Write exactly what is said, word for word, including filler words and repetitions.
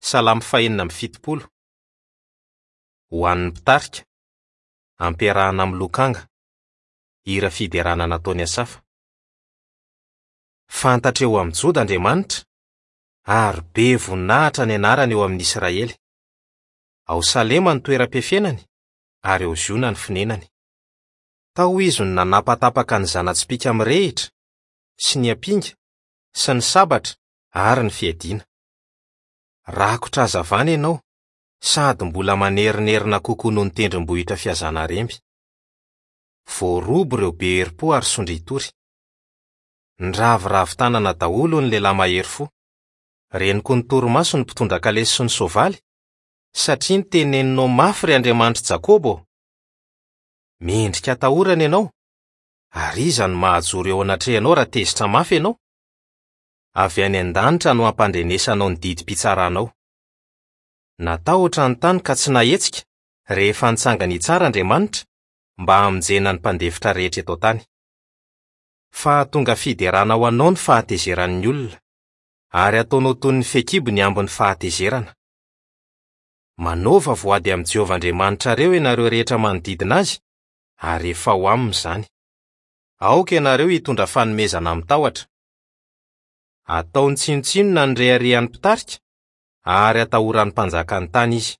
Salamo fahenina amby fitopolo. Ho an'ny mpitarika, ampiarahana amin'ny lokanga, hira fiderana nataon'i Asafa. Fantatra eo amin'ny Joda Andriamanitra, ary be voninahitra ny anarany eo amin'ny Israely. Ao Salema ny toeram-piafenany, ary ao Ziona ny fonenany. Tao izy no nanapatapaka ny zana-tsipìka mirehitra, sy ny ampinga, sy ny sabatra ary ny fiadiana. Rakotra hazavana ianao, sady mbola manerinerina kokoa noho ny tendrombohitra fihazana remby. Voaroba ireo be herim-po ary sondritory. Niraviravy tanana daholo ny lehilahy mahery fo. Reniko ny torimaso ny mpitondra kalesy sy ny soavaly, satria niteneninao mafy ry Andriamanitr'i Jakoba ô. Mendrika atahorana ianao, ary iza no mahajoro eo anatrehanao raha tezitra mafy ianao? Avy any an-danitra no hampandrenesanao ny didim-pitsaranao. Natahotra ny tany ka tsy nahetsika rehefa nitsangana hitsara Andriamanitra mba hamonjena ny mpandefitra rehetra eto an-tany. Fa tonga fiderana ho anao ny fahatezeran'ny olona, ary ataonao toy ny fehikibo ny ambin'ny fahatezerana. Manaova voady amin'i Jehovah Andriamanitrareo ianareo rehetra manodidina azy, ary efa ho aminy izany. Aoka ianareo hitondra fanomezana amin'ny tahotra. Ataony tsinontsinona ny reharehan'ny mpitarika, ary atahoran'ny mpanjakan'ny tany izy.